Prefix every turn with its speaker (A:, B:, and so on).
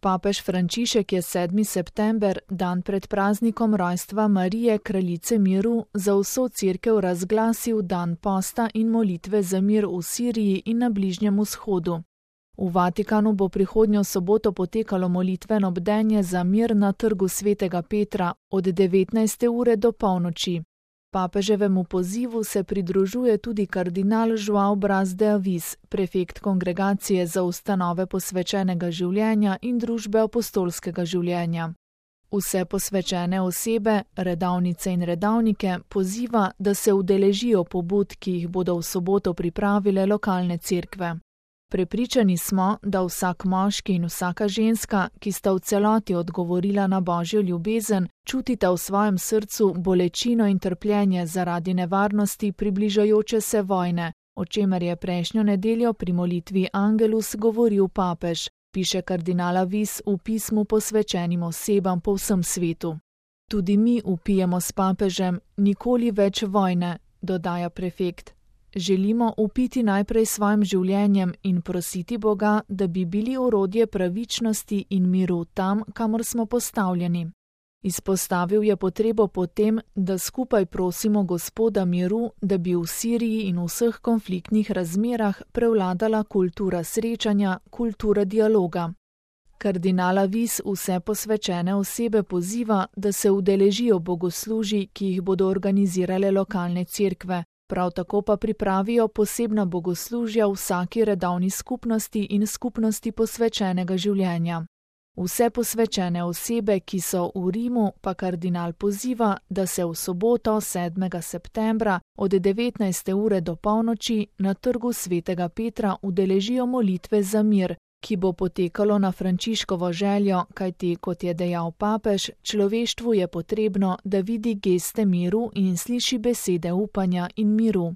A: Papež Frančišek je 7. september, dan pred praznikom rojstva Marije, kraljice miru, za vso cerkev razglasil dan posta in molitve za mir v Siriji in na Bližnjem vzhodu. V Vatikanu bo prihodnjo soboto potekalo molitveno bdenje za mir na trgu Svetega Petra od 19. ure do polnoči. Papeževemu pozivu se pridružuje tudi kardinal João Braz de Avis, prefekt Kongregacije za ustanove posvečenega življenja in družbe apostolskega življenja. Vse posvečene osebe, redavnice in redavnike poziva, da se udeležijo pobud, ki jih bodo v soboto pripravile lokalne cerkve. Prepričani smo, da vsak moški in vsaka ženska, ki sta v celoti odgovorila na Božjo ljubezen, čutita v svojem srcu bolečino in trpljenje zaradi nevarnosti približajoče se vojne, o čemer je prejšnjo nedeljo pri molitvi Angelus govoril papež, piše kardinal Avis v pismu posvečenim osebam po vsem svetu. Tudi mi vpijemo s papežem nikoli več vojne, dodaja prefekt. Želimo vpiti najprej svojim življenjem in prositi Boga, da bi bili orodje pravičnosti in miru tam, kamor smo postavljeni. Izpostavil je potrebo po tem, da skupaj prosimo Gospoda miru, da bi v Siriji in vseh konfliktnih razmerah prevladala kultura srečanja, kultura dialoga. Kardinal Avis vse posvečene osebe poziva, da se udeležijo bogoslužij, ki jih bodo organizirale lokalne cerkve. Prav tako pa pripravijo posebna bogoslužja v vsaki redavni skupnosti in skupnosti posvečenega življenja. Vse posvečene osebe, ki so v Rimu, pa kardinal poziva, da se v soboto 7. septembra od 19. ure do polnoči na trgu Svetega Petra udeležijo molitve za mir, ki bo potekalo na Frančiškovo željo, kajti, kot je dejal papež, človeštvu je potrebno, da vidi geste miru in sliši besede upanja in miru.